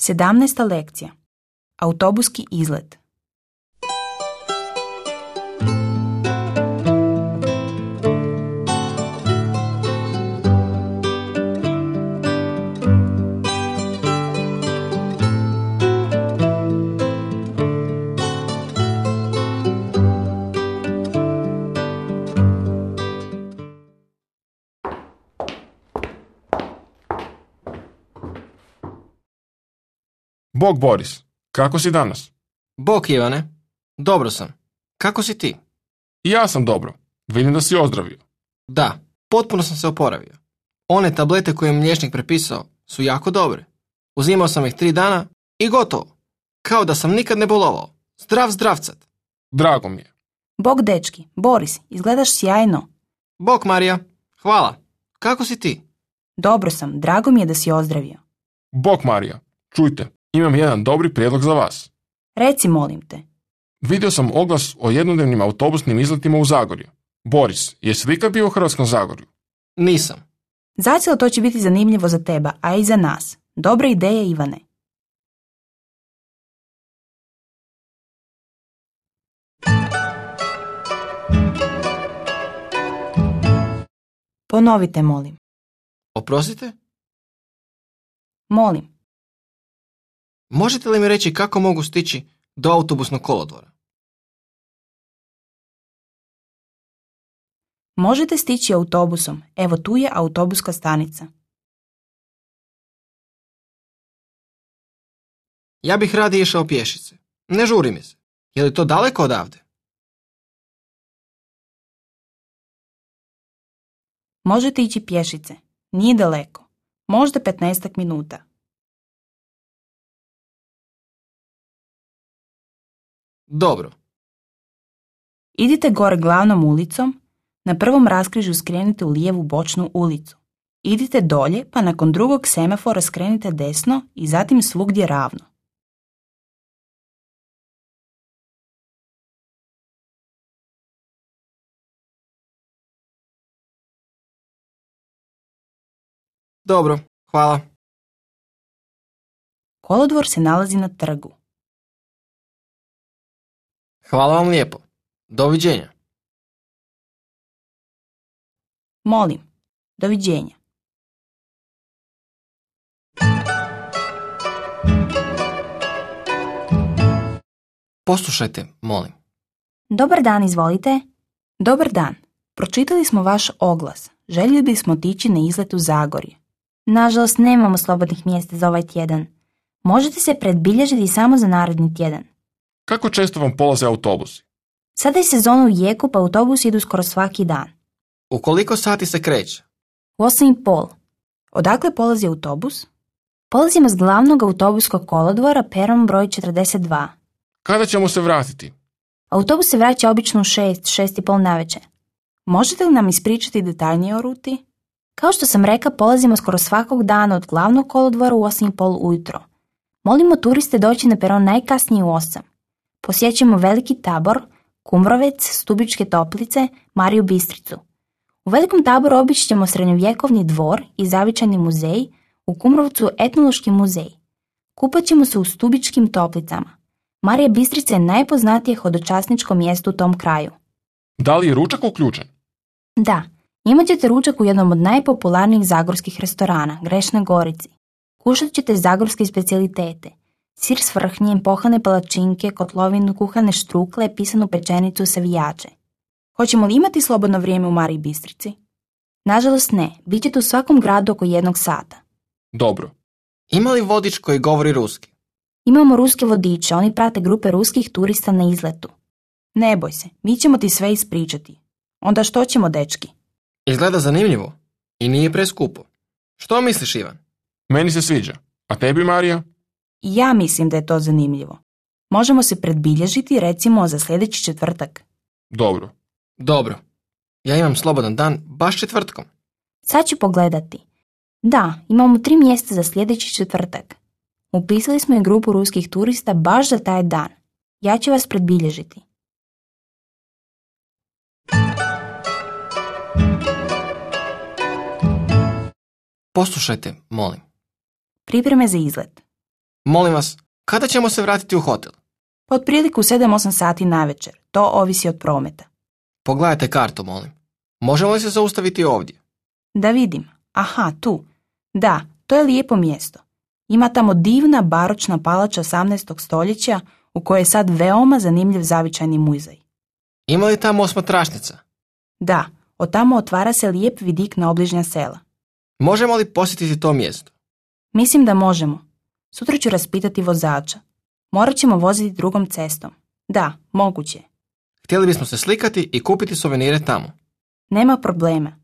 17. lekcija. Autobuski izlet. Bog Boris, kako si danas? Bog Ivane, dobro sam. Kako si ti? I ja sam dobro. Vidim da si ozdravio. Da, potpuno sam se oporavio. One tablete koje mi liječnik prepisao su jako dobre. Uzimao sam ih 3 dana i gotovo. Kao da sam nikad ne bolovao. Zdrav zdravcat. Drago mi je. Bog dečki, Boris, izgledaš sjajno. Bog Marija, hvala. Kako si ti? Dobro sam, drago mi je da si ozdravio. Bog Marija, čujte, imam jedan dobri prijedlog za vas. Reci, molim te. Vidio sam oglas o jednodnevnim autobusnim izletima u Zagorju. Boris, jesi li ikad bio u Hrvatskom Zagorju? Nisam. Zacijelo to će biti zanimljivo za teba, a i za nas. Dobra ideja, Ivane. Ponovite, molim. Oprostite? Molim. Možete li mi reći kako mogu stići do autobusnog kolodvora? Možete stići autobusom. Evo tu je autobuska stanica. Ja bih radije išao pješice. Ne žuri mi se. Je li to daleko odavde? Možete ići pješice. Nije daleko. Možda 15 minuta. Dobro. Idite gore glavnom ulicom. Na prvom raskrižju skrenite u lijevu bočnu ulicu. Idite dolje, pa nakon drugog semafora skrenite desno i zatim svugdje ravno. Dobro, hvala. Kolodvor se nalazi na trgu. Hvala vam lijepo. Doviđenja. Molim. Doviđenja. Poslušajte, molim. Dobar dan, izvolite. Dobar dan. Pročitali smo vaš oglas. Željeli bismo otići na izlet u Zagorje. Nažalost, nemamo slobodnih mjesta za ovaj tjedan. Možete se predbilježiti samo za naredni tjedan. Kako često vam polaze autobusi? Sada je sezona u jeku, pa autobusi idu skoro svaki dan. U koliko sati se kreće? U 8:30. Odakle polazi autobus? Polazimo s glavnog autobuskog kolodvora peron broj 42. Kada ćemo se vratiti? Autobus se vraća obično u 6:30 navečer. Možete li nam ispričati detaljnije o ruti? Kao što sam rekla, polazimo skoro svakog dana od glavnog kolodvora u 8:30 ujutro. Molimo turiste doći na peron najkasnije u 8. Posjećujemo Veliki Tabor, Kumrovec, Stubičke Toplice, Mariju Bistricu. U Velikom Taboru obići ćemo srednjovjekovni dvor i zavičajni muzej, u Kumrovcu etnološki muzej. Kupat ćemo se u Stubičkim Toplicama. Marija Bistrica je najpoznatije hodočasničko mjesto u tom kraju. Da li je ručak uključen? Da, imat ćete ručak u jednom od najpopularnijih zagorskih restorana, Grešnoj Gorici. Kušat ćete zagorske specijalitete. Sir s vrhnjem, pohane palačinke, kotlovinu, kuhane štrukle, pisanu pečenicu, savijače. Hoćemo li imati slobodno vrijeme u Mariji Bistrici? Nažalost ne, bit ćete u svakom gradu oko 1 sata. Dobro. Ima li vodič koji govori ruski? Imamo ruske vodiče, oni prate grupe ruskih turista na izletu. Ne boj se, mi ćemo ti sve ispričati. Onda što ćemo, dečki? Izgleda zanimljivo i nije preskupo. Što misliš, Ivan? Meni se sviđa. A tebi, Marija? Ja mislim da je to zanimljivo. Možemo se predbilježiti recimo za sljedeći četvrtak. Dobro. Dobro. Ja imam slobodan dan baš četvrtkom. Sad ću pogledati. Da, imamo 3 mjesta za sljedeći četvrtak. Upisali smo i grupu ruskih turista baš za taj dan. Ja ću vas predbilježiti. Poslušajte, molim. Pripreme za izlet. Molim vas, kada ćemo se vratiti u hotel? Pa otprilike u 7-8 sati navečer. To ovisi od prometa. Pogledajte kartu, molim. Možemo li se zaustaviti ovdje? Da vidim. Aha, tu. Da, to je lijepo mjesto. Ima tamo divna baročna palača 18. stoljeća u kojoj je sad veoma zanimljiv zavičajni muzej. Ima li tamo osmatrašnica? Da, od tamo otvara se lijep vidik na obližnja sela. Možemo li posjetiti to mjesto? Mislim da možemo. Sutra ću raspitati vozača. Morat ćemo voziti drugom cestom. Da, moguće je. Htjeli bismo se slikati i kupiti suvenire tamo. Nema problema.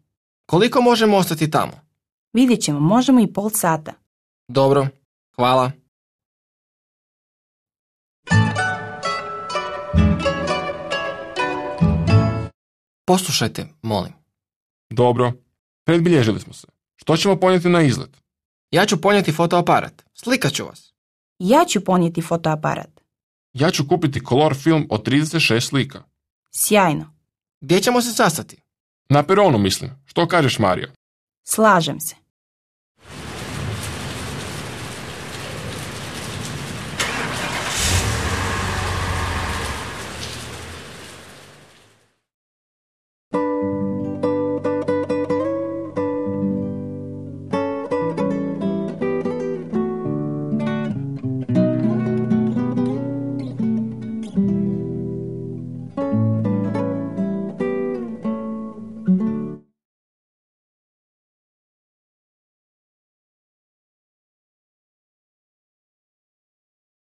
Koliko možemo ostati tamo? Vidjet ćemo, možemo i pol sata. Dobro, hvala. Poslušajte, molim. Dobro, predbilježili smo se. Što ćemo ponijeti na izlet? Ja ću ponijeti fotoaparat. Slikat ću vas. Ja ću ponijeti fotoaparat. Ja ću kupiti kolor film od 36 slika. Sjajno. Gdje ćemo se sastati? Na peronu mislim. Što kažeš, Mario? Slažem se.